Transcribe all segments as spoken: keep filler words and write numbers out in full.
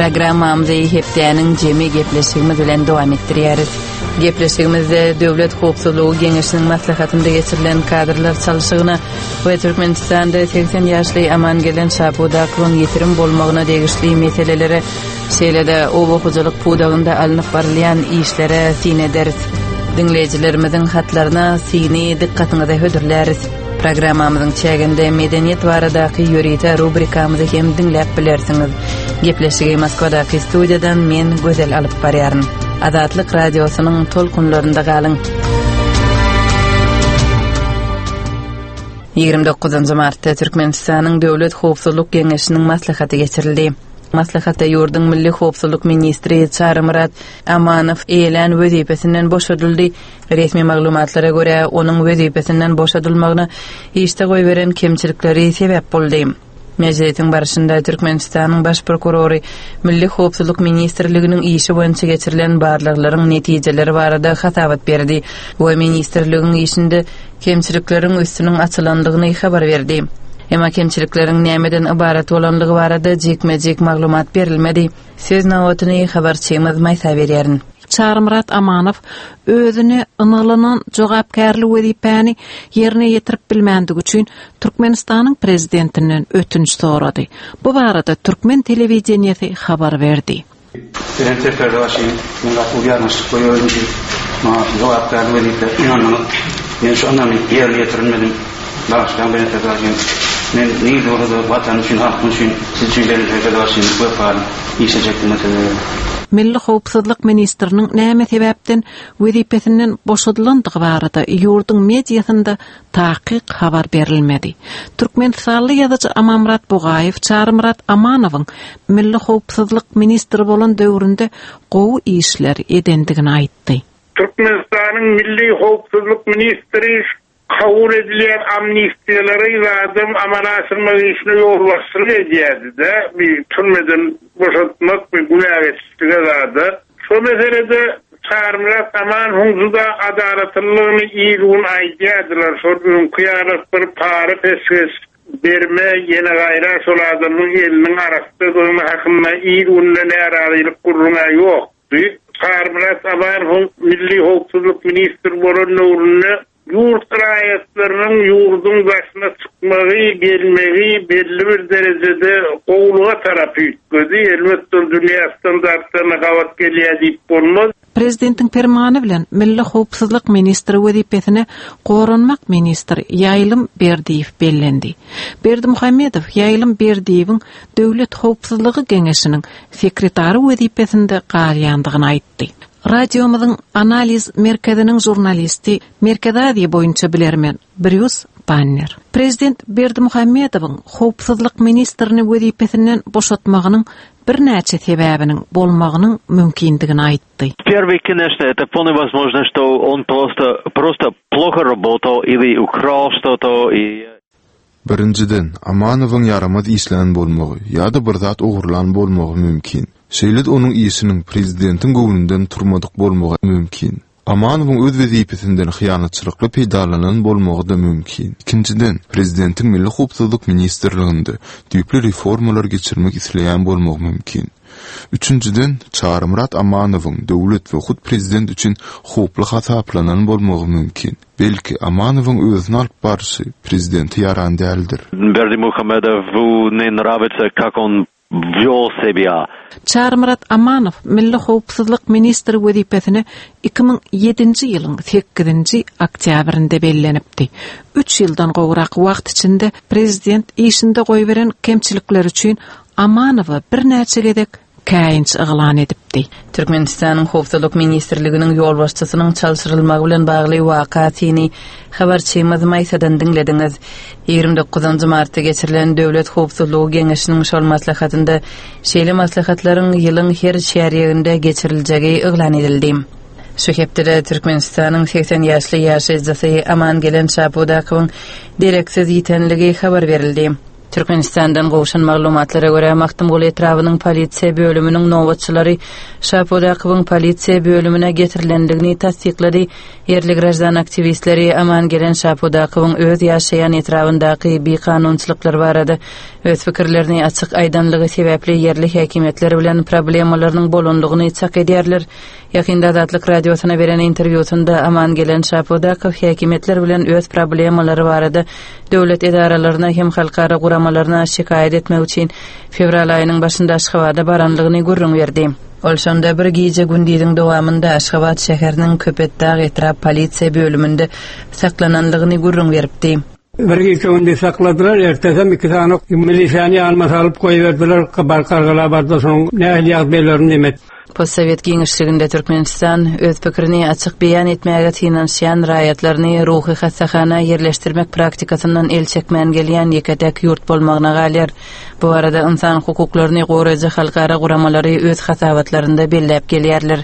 Programmamyzy hepdäniň jemi gepleşigimiz bilen dowam etdirýäris. Gepleşigimizde Döwlet howpsuzlygy geňeşiniň maslahatynda geçirilen kadrlar çalşygyna we Türkmenistanda segsen ýaşly Amangelen Şapudakowyň ýitirim bolmagyna degişli meselelere, şeýle-de oba hojalyk pudagynda alnyp barylýan işlere syn ederis. Diňleýjilerimiziň hatlaryna syny dykgatyňyza hödürläris. Programmamyzyň çäginde medeniýet baradaky ýörite rubrikamyzy hem diňläp bilersiňiz. Gepleşigi Moskwadaky studiýadan men Gözel alyp barýaryn. Azatlyk radiosynyň tolkunlarynda galyň. Ýigrimi dokuzynjy martda Türkmenistanyň Döwlet howpsuzlyk geňeşiniň maslahaty geçirildi. Maslahatda ýurduň Milli howpsuzlyk ministri Çarymyrat Amanow eýelän wezipesinden boşadyldy. Resmi maglumatlara görä, onuň wezipesinden boşadylmagyna işde goýberen kemçilikleri sebäp boldy. Mejlisiň barşynda Türkmenistanyň baş prokurory Milli howpsuzlyk ministrliginiň işi boýunça geçirilen barlaglaryň netijeleri barada hasabat berdi we ministrligiň işinde kemçilikleriň üstüniň açylandygyny habar berdi. Emma kemçilikleriň nämeden ybarat bolandygy barada jikme-jik maglumat berilmedi. Söz nobatyny habarçymyz Maýsa berýärin. Çarymyrat Amanow özüne ynanylan jogapkärli wezipäni ýerine ýetirip bilmändigi üçin Türkmenistanyň prezidentinden ötünç sorady. Bu barada türkmen telewideniýesi habar berdi. Prezident Serdarbaşy, men gaty uly ýalňyşlyk goýberdim diýip, maňa jogapkärli wezipe ynandyňyz. Men şu ynamy ýerine ýetirmedim. Bagyşlaň Belent Serdarbaşy. Men nirede bolsa-da Watan üçin, halkym üçin, siz üçin Belent Serdarbaşy wepaly işlejekdigime söz berýän. Milli howpsuzlyk ministriniň näme sebäpden wezipesinden boşadylandygy barada ýurduň mediasynda takyk habar berilmedi. Türkmenistanly ýazyjy Amanmyrat Bugaýew Çarymyrat Amanowyň Milli howpsuzlyk ministri bolan döwründe gowy işler edendigini aýtdy. Türkmenistanyň Milli howpsuzlyk ministri kabul edilýän amnistiýalary zadam amala aşyrmak işine ýolbaşçylyk edýärdi-de, bir türmeden boşatmak we günä geçişlige zada. Şo meselede Çarymyrat Amanowyň juda adalatlylygyny il-gün aýdýardylar. Şol öňki ýaly bir para peşgeş berme, ýene gaýra şol adamyň eliniň arasdadygyny hakynda il-günde närazylyk gurruna ýokdy. Çarymyrat Amanowyň Milli howpsuzlyk ministri bolan döwründe ýurt raýatlarynyň ýurduň daşyna çykmagy, gelmegi belli bir derejede gowluga tarap üýtgedi. Elbetde dünýä standartlaryna gabat gelýär diýip bolmaz. Prezidentiň permany bilen Milli howpsuzlyk ministri wezipesine Goranmak ministri Ýaýlym Berdiýew bellendi. Berdimuhamedow Ýaýlym Berdiýewiň Döwlet howpsuzlygy geňeşiniň sekretary wezipesinde galýandygyny aýtdy. Radiomyzyň analiz merkeziniň žurnalisti Merkezi Aziýa boýunça bilermen Brýus Banner. Prezident Berdimuhamedowyň howpsuzlyk ministrini wezipesinden boşatmagynyň birnäçe sebäbiniň bolmagynyň mümkindigini aýtdy. Первый, конечно, это вполне возможно, что он просто, просто плохо работал или украл что-то и Birinjiden, Amanowyň ýaramaz işlän bolmagy ýa-da bir zat ogurlan bolmagy mümkin. Şeýle-de onuň işiniň prezidentiň göwnünden turmadyk bolmagy mümkin. Amanowyň öz wezipesinden hyýanatçylykly peýdalanan bolmagy da mümkin. Ikinjiden, prezidentiň Milli howpsuzlyk ministrliginde düýpli reformalar geçirmek isleýän bolmagy mümkin. Üçünjiden, Çarymyrat Amanowyň döwlet we hut prezident üçin howply hasaplanan bolmagy mümkin. Belki Amanowyň özüni alyp barşy prezidente ýaran däldir. Berdimuhamedowu не нравится, как он вел себя. Çarymyrat Amanow Milli howpsuzlyk ministri wezipesine iki müň ýedinji ýylyň sekizinji oktýabrynda bellenipdi. Üç ýyldan gowrak wagt içinde prezident işinde goýberen kemçilikler üçin Amanowa birnäçe gezek käýinç yglan edipdi. Türkmenistanyň Howpsuzlyk ministrliginiň ýolbaşçysynyň çalşyrylmagy bilen bagly wakasyny habarçymyz Maýsadan diňlediňiz. Ýigrimi dokuzynjy martda geçirilen Döwlet howpsuzlygy geňeşiniň şol maslahatynda şeýle maslahatlaryň ýylyň her çärýeginde geçiriljegi yglan edildi. Şu hepdede Türkmenistanyň seksen ýaşly ýaşaýjysy Amangelen Şapudakowyň dereksiz ýitenligi habar berildi. Türkmenistandan gowşan maglumatlara görä Magtymguly etrabynyň polisiýa bölüminiň nobatçylary Şapudakowyň polisiýa bölümine getirilendigini tassyklady. Ýerli graždan aktiwistleri Amangelen Şapudakowyň öz ýaşaýan etrabyndaky bikanunçylyklar barada öz pikirlerini açyk aýdanlygy sebäpli ýerli häkimiýetler bilen problemalarynyň bolandygyny çak edýärler. Ýakynda Azatlyk radiosyna beren interwýusynda Amangelen Şapudakow häkimiýetler bilen öz problemalary barada döwlet edaralaryna hem halkara guramalaryna şikaýat etmek üçin fewral aýynyň başynda Aşgabada baranlygyny gürrüň berdi. Ol şonda bir gije gündiziň dowamynda Aşgabat şäheriniň Köpetdag etrap polisiýa bölüminde saklananlygyny gürrüň beripdi. Bir gije gündiz sakladylar, ertesem iki sany milisýany ýanyma salyp goýberdiler, bar bardy, soň nähili ýagdaýlaryny demet. Postsowet giňişliginde Türkmenistan öz pikirini açyk beýan etmäge synanyşýan raýatlaryny ruhy hassahana ýerleşdirmek praktikasyndan el çekmän gelýän ýeke-tek ýurt bolmagyna galýar. Bu arada insan hukuklaryny goraýjy halkara guramalary öz hasabatlarynda belläp gelýärler.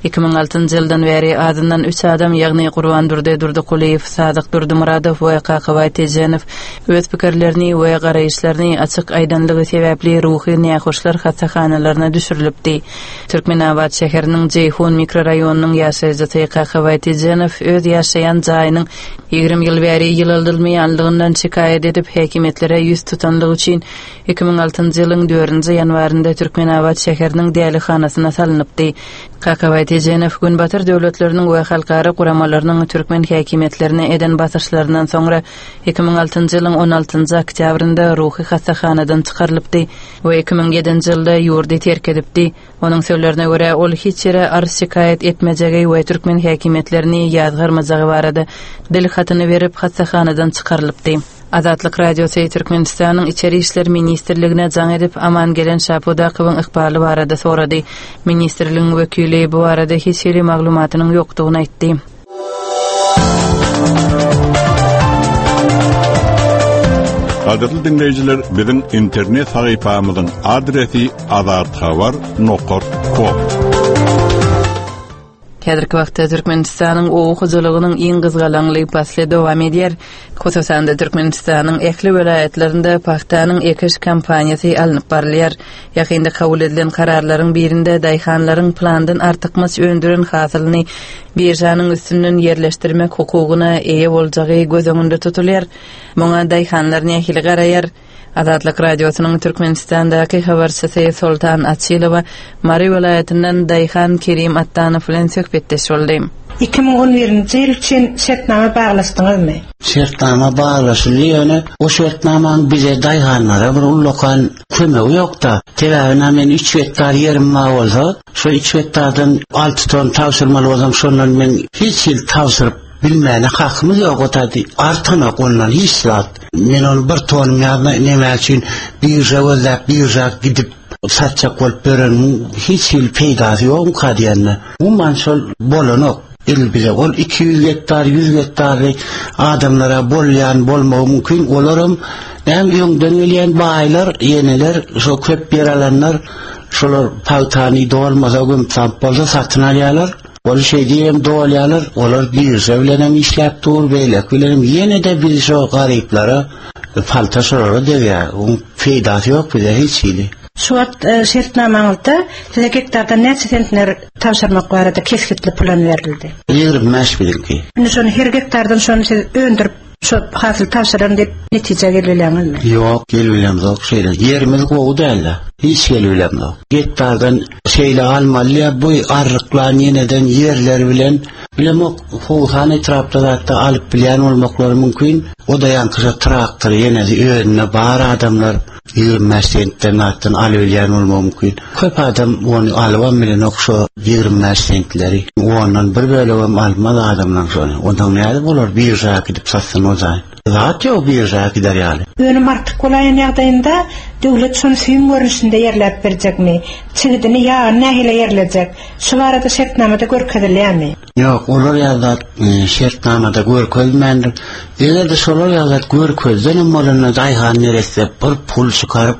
iki müň altynjy ýyldan bäri azyndan üç adam, ýagny Gurbandurdy Durdykulyýew, Sadyk Durdymuradow we Kakabaý Tejenow öz pikirlerini we garaýyşlaryny açyk aýdanlygy sebäpli ruhy nähoşlar hassahanalaryna düşürilipdi. Türkmenabat şäheriniň Jeýhun mikrorayonynyň ýaşaýjysy Kakabaý Tejenow öz ýaşaýan jaýynyň ýigrimi ýyl bäri ýylyldylmaýanlygyndan şikaýat edip häkimiýetlere ýüz tutanlygy üçin iki müň altynjy ýylyň dördünji ýanwarynda Türkmenabat şäheriniň dälihanasyna salynypdy. Kakabaý Tejenow Günbatar döwletleriniň we halkara guramalarynyň türkmen häkimiýetlerine eden basyşlaryndan soňra iki müň altynjy ýylyň on altynjy oktýabrynda ruhy hassahanadan çykarylypdy we iki müň ýedinji ýylda ýurdy terk edipdi. Onuň sözlerine görä ol hiç ýere arz şikaýat etmejegi we türkmen häkimiýetlerini ýazgarmajagy barada dil hatyny berip hassahanadan çykarylypdy. Azatlyk Radiosy Türkmenistanyň Içeri İşler Ministrligine jaň edip Amangelen Şapudakowyň ykbaly barada sorady. Ministrligiň wekili bu barada hiç hili maglumatynyň ýokdugyny aýtdy. Gadyrly dinleýjiler, biziň internet sahypamyzyň adresi azathabar nokta com. Häzirki wagtda Türkmenistanyň oba hojalygynyň iň gyzgalaňly pasly dowam edýär. Hususan-da Türkmenistanyň ähli welaýatlarynda pagtanyň ekiş kampaniýasy alnyp barylýar. Ýakynda kabul edilen kararlaryň birinde daýhanlaryň plandan artykmaç öndüren hasylyny biržanyň üstünden ýerleşdirmek hukugyna eýe boljagy göz öňünde tutulýar. Muňa daýhanlar nähili garaýar? Azatlyk Radiosynyň Türkmenistandaky habarçysy Soltan Açylowa Mary welaýatyndan Daýhan Kerim Attanow bilen söhbetdeş boldy. iki müň on birinji ýyl üçin şertnama baglaşdyňyzmy? Şertnama baglaşyldy, ýöne o şertnamanyň bize daýhanlara bir ullakan kömegi ýok-da. Sebäbi men üç gektar ýerim bar bolsa, şo üç gektardan alty ton tabşyrmaly bolsam, şondan men hiç hil tabşyryp bilmäne hakymyz ýok otady. Artanok ondan hiç zat. Men onu bir tonum ýazma näme üçin birja gözläp birja gidip satjak bolup bereniň hiç hil peýdasy ýokmyka diýende. Umuman şol bolanok. El bize ol iki ýüz gektar, ýüz gektarly adamlara bolýan bolmagy mümkin. Olaram näme öňden gelýän baýlar, ýeneler, şo köp ýer alanlar, şolar pagtany dolmasa gömsap bolsa satyn alýarlar. Ol şey diýem dolýarlar, olar birja bilen hem işläp dur, beýlek bilen hem ýene de biz şo garyplara palta şolara degýär. Onuň peýdasy ýok bize hiç hili. Şu wagt, e, şertnamaňyzda size gektardan näçe sentner tabşyrmak barada kesgitli plan berildi? Ýigrimi bäş bilinki. Indi şony her gektardan şony siz öndürip şo hasyl tabşyran diýip netije gelýärmi? Ýok, gelýämzok şeýle. Ýerimiz gowy däldi. Hiç gelýämzok. Gektardan şeýle almaly ýa bu arryklan ýeneden ýerler bilen bilemok Howhan etrapda zatda alyp bilýän bolmaklary mümkin. O da ýaňky traktor ýene özüne bar adamlar ýigrimi bäş sentden zatdan alyp bilýän bolmagy mümkin. Köp adam ony alybam bilenok şo ýigrimi bäş sentleri. Ondan bir bölegem almaz adamlar şony. Ondan näde bolar birja gidip satsyn o zaý. Zat ýok birja gider ýaly. Önüm artyk bolaýan ýagdaýynda döwlet şony süýüm görnüşinde ýerläp berjekmi? Çigidini ýagyny nähili ýerlejek? Şu barada şertnamada görkezilýärmi? Ýok, olar ýazat, e, şertnamada görkezmändir. Eger-de şolar ýazat görkezdenem bolanda daýhan neresse bir pul çykaryp,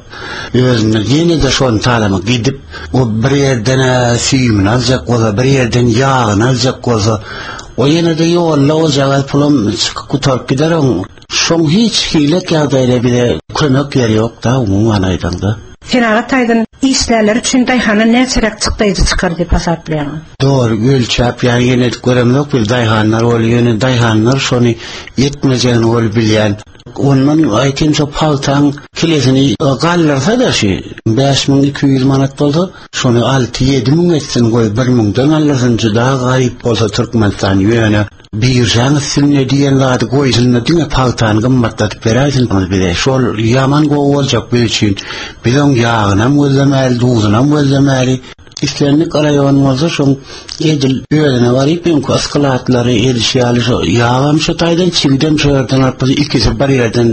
özüne ýene-de şony talama gidip, o bir ýerden, e, süýümini aljak bolsa, bir ýerden ýagyny aljak bolsa, o ýene-de ýolda o jagaz pulum çykyp gutaryp gider oň. Şoň hiç hilek ýagdaýda bize kömek ýeri ýok da umuman aýdanda. Senagat taýdan işlerler üçin daýhana näçerek çykdaýjy çykar diýip hasaplaýaň? Dogry, ölçäp ýa ýene göremok bir daýhanlar bol, ýöne daýhanlar şony ýetmejegini bol bilýän. Ondan aýtym şo pagtaň kilesini galdyrsa da şu bäş müň iki ýüz manat bolsa, şony alty ýedi müň etsin goý, bir müňden aldyrsyn, juda garyp bolsa Türkmenistan ýöne birjaň üstünde diýen zady goýsun da diňe pagtany gymmatlatyp beräýsin bize. Şol ýaman gowy boljak biz üçin. Biz oň ýagynam gözlemäli, duzunam gözlemäli. Islendik raýon bolsa şoň edil özüne baryp öňki yskylatlary ediş ýaly şo ýagam şo taýdan çigidem şo ýerden alyp ikisi bir ýerden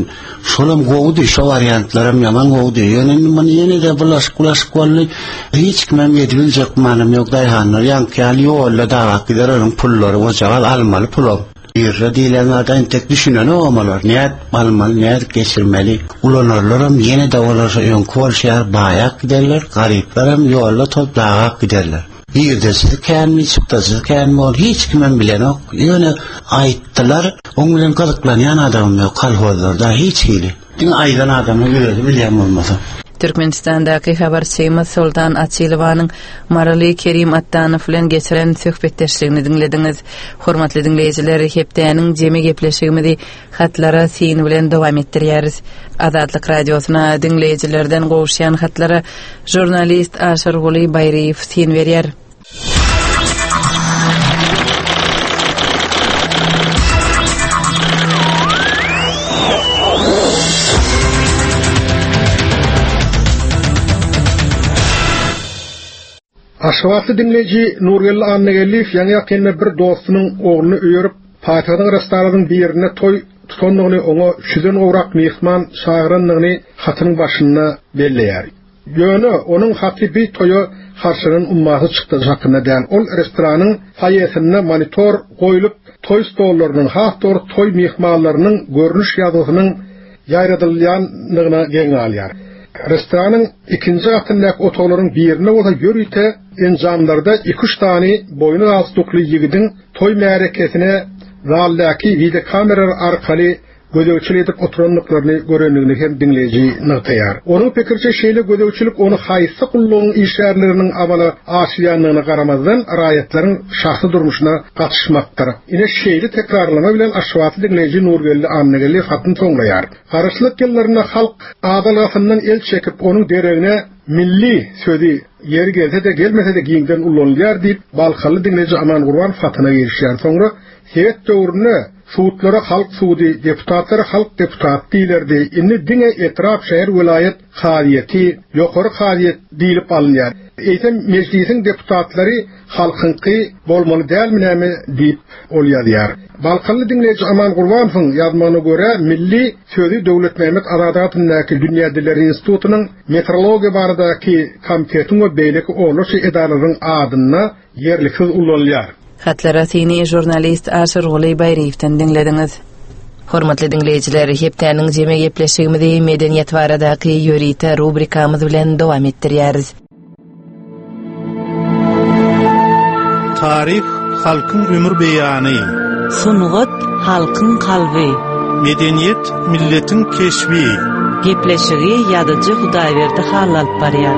şolam gowudy, şo wariantlaram ýaman gowudy. Ýöne indi muny ýene-de bulaşyk bulaşyk boldy. Hiç kimem edibiljek manym ýok daýhanlar ýaňky ýaly ýolda dagak gider onuň pullary bojagaz almaly pulam. Birje diýlen zada entek düşünenok omalar. Nädip almaly, nädip geçirmeli. Ulanarlaram ýene-de olar şo öňki bolşy ýaly baýak giderler, garyplaram ýolda top dagak giderler. Girdejisi känmi, çykdajysy känmi ol hiç kimem bilenok. Ýöne aýtdylar, oň bilen gyzyklanýan adamym ýok kolhozlarda hiç hili. Diňe aýdan adamyň özi bilýän bolmasa. Türkmenistandaky habarçymyz Soltan Açylowanyň Maryly Kerim Attanow bilen geçiren söhbetdeşligini diňlediňiz. Hormatly diňleýjiler, hepdäniň jemi gepleşigimizi hatlara syn bilen dowam etdirýäris. Azatlyk radiosyna diňleýjilerden gowuşýan hatlara žurnalist Aşyrguly Baýryýew syn berýär. Aşgabatly diňleýji Nurgeldi Annageldiýew ýaňy ýakynda bir dostunyň ogluny öýerip, paýtagtyň restoranyň birinde toý tutandygyny, oňa üç ýüzden gowrak myhman çagyrandygyny hatynyň başynda belleýär. Ýöne onuň haty bir toýa harçlanan ummasy çykdajy hakynda däl. Ol restoranyň foýesinde monitor goýlup, toý stollarynyň, has dogry toý myhmanlarynyň görnüş ýazgysynyň ýaýradylýandygyna geň galýar. Restoranyň ikinji gatyndaky otaglaryň birinde bolsa ýörite enjamlarda iki üç sany boýny galstukly ýigidiň toý märekesine zaldaky videokameralar arkaly gözegçilik edip oturandyklaryny görendigini hem diňleýji nygtaýar. Onuň pikirçe şeýle gözegçilik ony haýsy gullugyň işgärleriniň amala aşyrýandygyna garamazdan raýatlaryň şahsy durmuşyna gatyşmakdyr. Ine şeýle tekrarlama bilen Aşgabatly diňleýji Nurgeldi Annageldiýew hatyny soňlaýar. Garaşsyzlyk ýyllarynda halk adalgasyndan el çekip onuň deregine milli sözi ýeri gelse-de gelmese-de giňden ulanylýar diýip Balkanly diňleýji Aman Gurban hatyna girişýär. Soňra Sowet döwründe sudlara halk sudy, deputatlara halk deputat diýilerdi. Indi diňe etrap, şäher, welaýat kazyýeti, ýokary kazyýet diýilip alynýar. Eýsem mejlisiň deputatlary halkyňky bolmaly dälmi näme diýip ol ýazýar. Balkanly diňleýji Aman Gurbanowyň ýazmagyna görä milli sözi Döwlet Mehmet Azady adyndaky Dünýä Dilleri Institutynyň metrologiýa baradaky komitetiň we beýleki onlarça edaralaryň adynda ýerliksiz ulanylýar. Hatlara syny žurnalist Aşyrguly Baýryýewden diňlediňiz. Hormatly diňleýjiler, hepdäniň jemi gepleşigimizi medeniýet baradaky ýörite rubrikamyz bilen dowam etdirýäris. Taryh halkyň ömür beýany. Sungat halkyň kalby. Medeniýet milletiň keşbi. Gepleşigi ýazyjy Hudaýberdi Hally alyp barýar.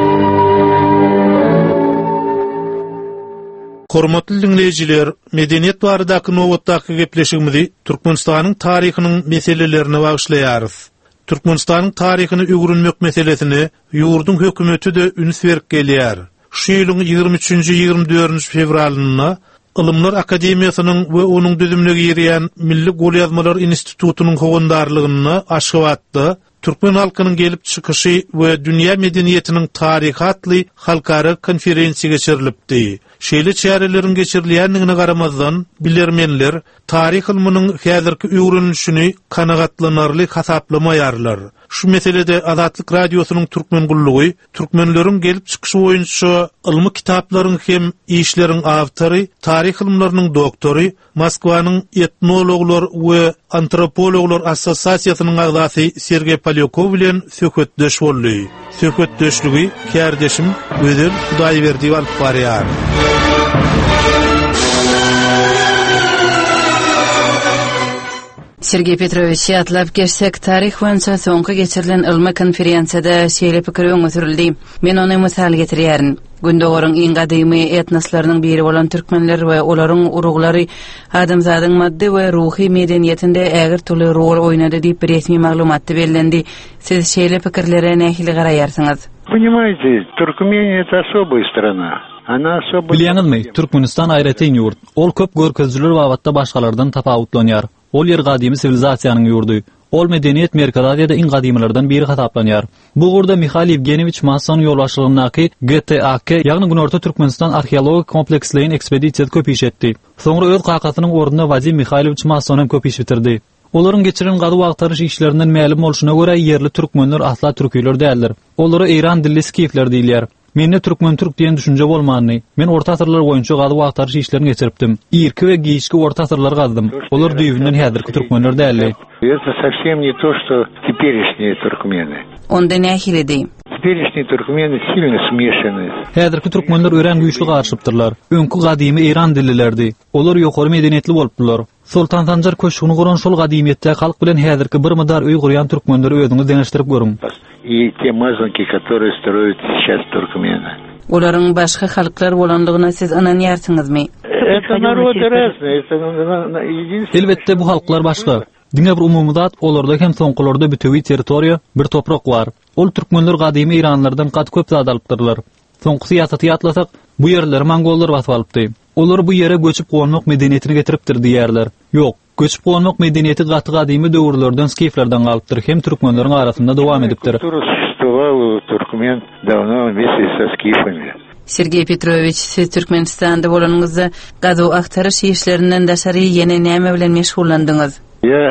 Hormatly diňleýjiler, medeniýet baradaky nobatdaky gepleşigimizi Türkmenistanyň taryhynyň meselelerine bagyşlaýarys. Türkmenistanyň taryhyny öwrenmek meselesine ýurduň hökümeti-de üns berip gelýär. Şu ýylyň ýigrimi üçünji ýigrimi dördünji fewralynda Ylymlar Akademiýasynyň we onuň düzümine girýän Milli Golýazmalar Institutynyň howandarlygynda Aşgabatda Türkmen halkynyň gelip çykyşy we dünýä medeniýetiniň taryhy atly halkara konferensiýa geçirilipdi. Şeýle çäreleriň geçirilýändigine garamazdan, bilermenler taryh ylmynyň häzirki öwrenilişini kanagatlanarly hasaplamaýarlar. Şu meselede Azatlyk Radiosynyň Türkmen gullugy türkmenleriň gelip çykyşy boýunça ylmy kitaplaryň hem işleriň awtory, taryh ylymlarynyň doktory, Moskwanyň etnologlar we antropologlar assosiasiýasynyň agzasy Sergey Polýakov bilen söhbetdeş boldy. Söhbetdeşligi kärdeşim Gözel Hudaýberdiýew alyp barýar. Sergeý Petrowiç, ýatlap geçsek, taryh boýunça soňky geçirilen ylmy konferensiýada şeýle pikir öňe sürüldi. Men ony mysal getirýärin. Gündogaryň iň gadymy etnoslarynyň biri bolan türkmenler we olaryň uruglary adamzadyň maddy we ruhy medeniýetinde ägirt uly rol oýnady diýip resmi maglumatda bellendi. Siz şeýle pikirlere nähili garaýarsyňyz? Понимаете, Туркмения это особая страна. Она особо... Bilýäňizmi, Türkmenistan aýratyn ýurt. Ol köp görkezijiler babatda başgalardan tapawutlanýar. Ol ýer gadymy siwilizasiýanyň ýurdy. Ol medeniýet Merkezi Aziýada iň gadymylardan biri hasaplanýar. Bu ugurda Mihail Ýewgenýewiç Masson ýolbaşçylygyndaky G T A K, ýagny Günorta Türkmenistan arheologik kompleksleýin ekspedisiýasy köp iş etdi. Soňra öz kakasynyň ornuna Wadim Mihaýlowiç Masson hem köp iş bitirdi. Olaryň geçiren gazuw agtaryş işlerinden mälim bolşuna görä, ýerli türkmenler asla türkiler däldir. Olara Eýran dilli skifler diýilýär. Mende türkmen türk diýen düşünje bolmandy. Men orta asyrlar boýunça gazuw agtaryş işlerini geçiripdim. Irki we giçki orta asyrlary gazdym. Olar düýbünden häzirki türkmenler däldi. Это совсем не то, что теперешние туркмены. Onda nähilidi? Теперешние туркмены сильно смешаны. Häzirki türkmenler örän güýçli garyşypdyrlar. Öňki gadymy Eýran dillilerdi. Olar ýokary medeniýetli bolupdylar. Soltan Sanjar köşgüni guran şol gadymyýetde halk bilen häzirki bir mydar öý gurýan türkmenleri özüňiz deňeşdirip görüň. И те мазанки, которые строят сейчас туркмены. Olaryň başga halklar bolanlygyna siz ynanýarsyňyzmy? Это народы разные. Это на- на- единственное... Elbetde bu halklar başga. Diňe bir umumy zat olarda hem soňkularda bütewi territoriýa bir toprak bar. Ol türkmenler gadymy Eýranlardan gaty köp zat alypdyrlar. Soňky syýasaty ýatlasak, bu ýerleri mongollar basyp alypdy. Olar bu ýere göçüp gonmak medeniýetini getiripdir diýerler. Ýok, göçüp gonmak medeniýeti gaty gadymy döwürlerden skiflerden galypdyr, hem türkmenleriň arasynda dowam edipdir. Культура существовала у туркмен давно вместе со скифами. Sergeý Petrowiç, siz Türkmenistanda bolanyňyzda gazuw agtaryş işlerinden daşary ýene näme bilen meşgullandyňyz? Я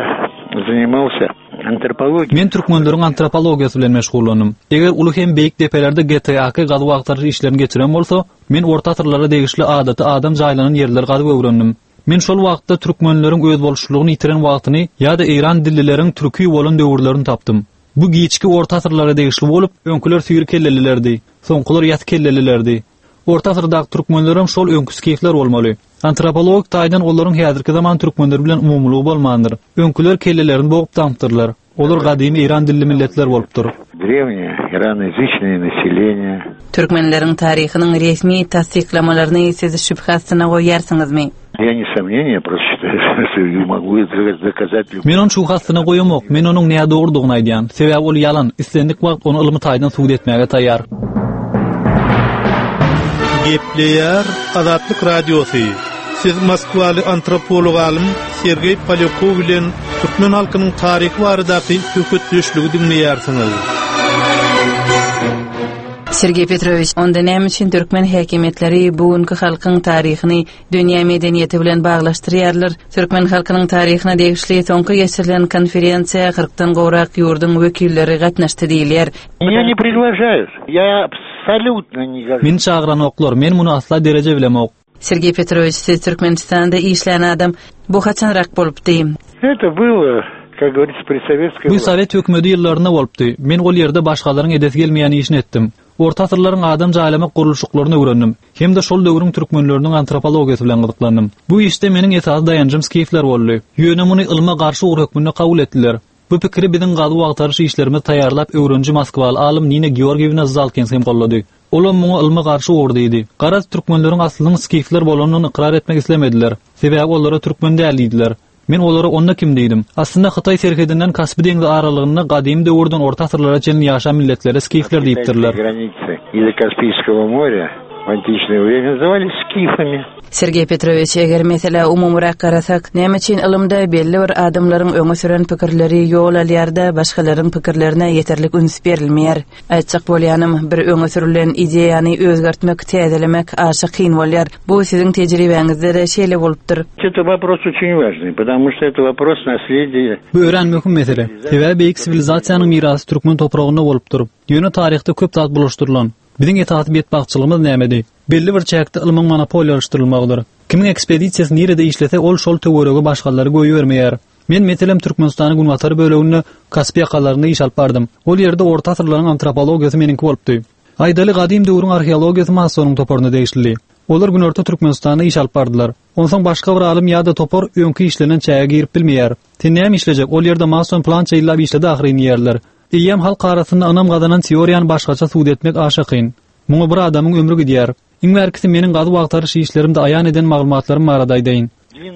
занимался антропологией. Men türkmenleriň antropologiýasy bilen meşgullandym. Eger uly hem beýik depelerde G T A K gazuw agtaryş işlerini geçiren bolsa, men orta asyrlara degişli adaty adam jaýlanan ýerleri gazyp öwrendim. Men şol wagtda türkmenleriň özboluşlygyny ýitiren wagtyny ýa-da Eýran dillileriň türki bolan döwürlerini tapdym. Bu giçki orta asyrlara degişli bolup, öňküler süýri kellelilerdi, soňkular ýat kellelilerdi. Orta asyrdaky türkmenlerem şol öňkü skifler bolmaly. Antropologik taýdan olaryň häzirki zaman türkmenleri bilen umumylygy bolmandyr. Öňküler kellelerini bogup daňypdyrlar. Olar gadymy Eýran dilli milletler bolupdyr. Древнее ираноязычное население. Türkmenleriň taryhynyň resmi tassyklamalaryny siz şübhe astyna goýarsyňyzmy? Я не сомнение, просто считаю, что могу это доказать любым. Men ony şübhe astyna goýamok. Men onuň näme dogrudygyny aýdýan. Sebäbi ol ýalan, islendik wagt ony ylmy taýdan subut etmäge taýýar. Gepleýär Azatlyk Radiosy. Siz Moskwaly antropolog alym Sergeý Polýakov bilen türkmen halkynyň taryhy baradaky söhbetdeşligi diňleýärsiňiz. Sergeý Petrowiç, onda näme üçin türkmen häkimiýetleri bugünkü halkyň taryhyny dünýä medeniýeti bilen baglaşdyrýarlar? Türkmen halkynyň taryhyna degişli soňky geçirilen konferensiýa kyrkdan gowrak ýurduň wekilleri gatnaşdy diýilýär. Меня не приглашают. Я абсолютно не гожусь. Meni çagyranoklar, men muny asla dereje bilemok. Sergeý Petrowiç, siz Türkmenistanda işlän adam, bu haçanrak bolupdy? Это было, как говорится, при советской Bu власти. Sowet hökümeti ýyllarynda bolupdy. Men ol ýerde başgalaryň edesi gelmeýän işini etdim. Orta asyrlaryň adam jaýlamak gurluşyklaryny öwrendim. Hem-de şol döwrüň türkmenleriniň antropologiýasy bilen gyzyklandym. Bu işde meniň esasy daýanjym skifler boldy. Ýöne muny ylma garşy ugur hökmünde kabul etdiler. Bu pikiri biziň gazuw agtaryş işlerimizi taýýarlap öwreniji Moskwaly alym Nina Georgiýewna Zalkins hem gollady. Olam muňa ylma garşy ugur diýdi. Garaz türkmenleriň aslynyň skifler bolanyny ykrar etmek islemediler. Sebäbi olara türkmen däl diýdiler. Men olara onda kim diýdim. Aslynda Hytaý serhedinden Kaspi deňzi aralygynda gadymy döwürden orta asyrlara çenli ýaşan milletlere skifler diýipdirler. Границы или Каспийского моря в античное время назывались скифами. Sergeý Petrowiç, eger meselä umumyrak garasak, näme üçin ylymda belli bir adamlaryň öňe süren pikirleri ýol alýar-da, başgalaryň pikirlerine ýeterlik üns berilmeýär? Aýtjak bolýanym, bir öňe sürülen ideýany özgertmek, täzelemek aşa kyn bolýar. Bu siziň tejribäňizde şeýle bolupdyr. Это вопрос очень важный, потому что это вопрос наследия. Bu örän möhüm mesele. Sebäbi beýik siwilizasiýanyň mirasy türkmen topragynda bolupdyr. Ýöne taryhda köp zat bulaşdyrylan. Biziň esasy betbagtçylygymyz nämedi? Belli bir çäkde ylmyň monopoliýalaşdyrylmagydyr. Kimiň ekspedisiýasy nirede işlese, ol şol töwerege başgalary goýbermeýär. Men meselem Türkmenistanyň günbatar böleginde Kaspi ýakalarynda iş alyp bardym. Ol ýerde orta asyrlaryň antropologiýasy meniňki bolupdy. Aýdaly gadym döwrüň arheologiýasy Massonyň toparyna degişli. Olar Günorta Türkmenistanda iş alyp bardylar. Onsoň başga bir alym ýa-da topar öňki işlenen çäge girip bilmeýär. Sen näme işlejek? Ol ýerde Mason plança ýyllap işledi ahyryn diýerler. Eýýäm halk arasynda ynam gazanan teoriýany başgaça subut etmek aşa kyn. Muňa bir adamyň ömri gidýär. Iň bärkisi meniň gazuw agtaryş işlerimde aýan eden maglumatlarym barada aýdaýyn.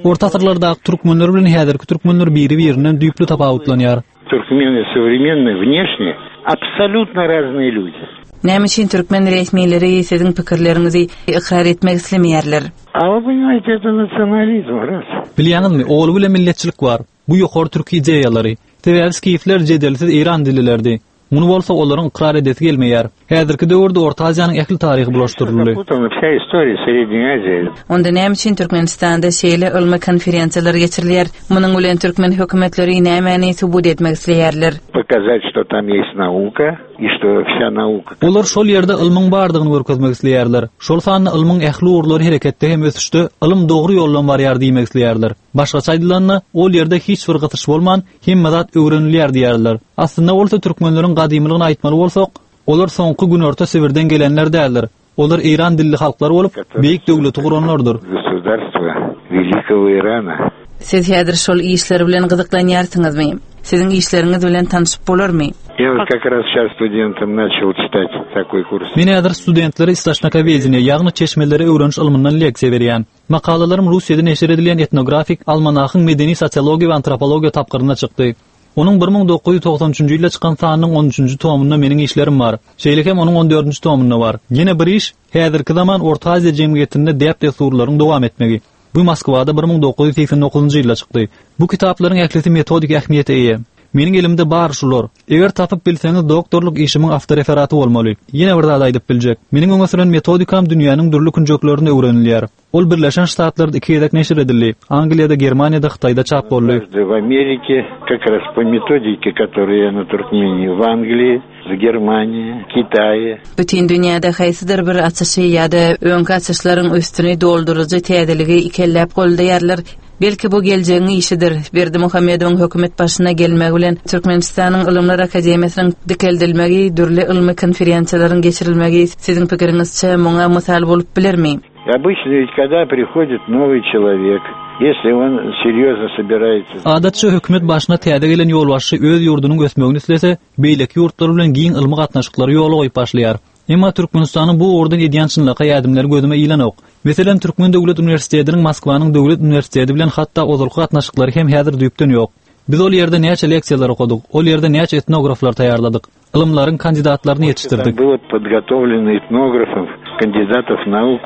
Orta asyrlardaky türkmenler bilen häzirki türkmenler biri-birinden düýpli tapawutlanýar. Туркмены современные внешне абсолютно разные люди. Näme üçin türkmen resmileri siziň pikirleriňizi ykrar etmek islemeýärler? А вы понимаете, это национализм, раз. Bilýäňizmi, ogly bilen milletçilik bar. Bu ýokary türk ideýalary. Sebäbi skifler jedelsiz Eýran dillilerdi. Muny bolsa olaryň ykrar edesi gelmeýär. Häzirki döwürde Orta Aziýanyň ähli taryhy bulaşdyryldy. Запутана вся история Средней Азии. Onda näme üçin Türkmenistanda şeýle ylmy konferensiýalar geçirilýär? Munuň bilen türkmen hökümetleri nämäni subut etmek isleýärler? Показать, что там есть наука, и что вся наука... Olar şol ýerde ylmyň bardygyny görkezmek isleýärler. Şol sanda ylmyň ähli ugurlary hereketde hem ösüşde, ylym dogry ýoldan barýar diýmek isleýärler. Başgaça aýdylanda, ol ýerde hiç bir gysyş bolman, hemme zat öwrenilýär diýärler. Aslynda bolsa türkmenleriň gadymlygyny aýtmaly bolsak, olar soňky Günorta Sibirden gelenler däldir. Olar Eýran dilli halklar bolup, beýik döwleti guranlardyr. Государство Великого Ирана. Siz häzir şol işler bilen gyzyklanýarsyňyzmy? Siziň işleriňiz bilen tanışyp bolarmy? Я вот как раз сейчас студентам начал читать такой курс. Men häzir studentlere istoçnokovedeniýe, ýagny çeşmeleri öwreniş ylmyndan leksiýa berýän. Makalalarym Russiýada neşir edilýän etnografik almanahyň medeni sosiologiýa we antropologiýa tapgyrynda çykdy. Onuň bir müň dokuz ýüz togsan üçünji ýylda çykan sanynyň on üçünji tomunda meniň işlerim bar. Şeýle hem onuň on dördünji tomunda bar. Ýene bir iş, häzirki zaman Orta Aziýa jemgyýetinde däp-dessurlaryň dowam etmegi. Bu Moskwada bir müň dokuz ýüz segsen dokuzynjy ýylda çykdy. Bu kitaplaryň ählisi metodik ähmiýete eýe. Meniň elimde bar şular. Eger tapyp bilseňiz doktorlyk işimiň awtoreferaty bolmaly. Ýene bir zat aýdyp biljek. Meniň öňe süren metodikam dünýäniň dürli künjeklerinde öwrenilýär. Ol Birleşen Ştatlarda iki gezek neşir edildi. Angliýada, Germaniýada, Hytaýda çap boldy. В Америке как раз по методике, которую я на Туркмении, в Англии, в Германии, Китае. Bütün dünýäde haýsydyr bir açyşy ýa-da öňki açyşlaryň üstüni dolduryjy täzeligi ikelläp goldaýarlar. Belki bu geljegiň işidir. Berdimuhamedowyň hökümet başyna gelmegi bilen Türkmenistanyň Ylymlar Akademiýasynyň dikeldilmegi, dürli ylmy konferensiýalaryň geçirilmegi siziň pikiriňizçe muňa mysal bolup bilermi? Обычно ведь когда приходит новый человек, если он серьезно собирается... Adatça hökümet başyna täze gelen ýolbaşçy öz ýurdunyň ösmegini islese, beýleki ýurtlar bilen giň ylmy gatnaşyklary ýola goýup başlaýar. Emma Türkmenistanyň bu ugurdan edýän çynlakaý ädimleri gözüme ilenok. Meselem, Türkmen Döwlet Uniwersitetiniň Moskwanyň Döwlet Uniwersiteti bilen hatda ozalky gatnaşyklary hem häzir düýpden ýok. Biz ol ýerde näçe leksiýalar okadyk, ol ýerde näçe etnograflar taýýarladyk, ylymlaryň kandidatlaryny ýetişdirdik. Там было подготовлено этнографов, кандидатов наук.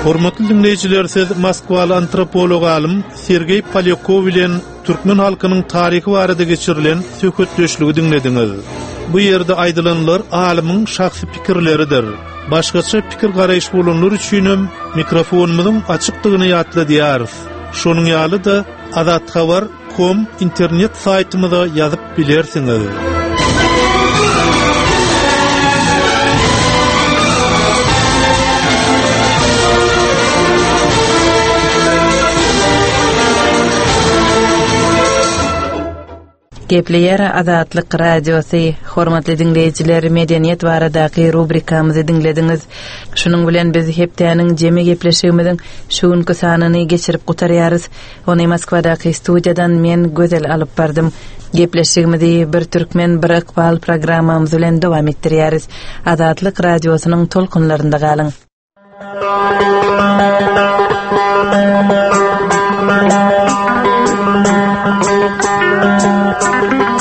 Hormatly dinleýjiler, siz Moskwaly antropolog alym Sergeý Polýakov bilen türkmen halkynyň taryhy barada geçirilen söhbetdeşligi dinlediňiz. Bu ýerde aýdylanlar alymyň şahsy pikirleridir. Başgaça pikir garaýyş bolanlar üçinem mikrofonumyzyň açykdygyny ýatladýarys. Şonuň ýaly-da azathabar nokta com internet saýtymyza ýazyp bilersiňiz. Gepleýär Azatlyk Radiosy. Hormatly dinleýjiler, medeniýet baradaky rubrikamyzy dinlediňiz. Şunuň bilen biz hepdäniň jemi gepleşigimiziň şu günki sanyny geçirip gutarýarys. Ony Moskwadaky studiýadan men Gözel alyp bardym. Gepleşigimizi bir türkmen bir ykbal programmamyz bilen dowam etdirýäris. Azatlyk Radiosynyň tolkunlarynda galyň. Thank you.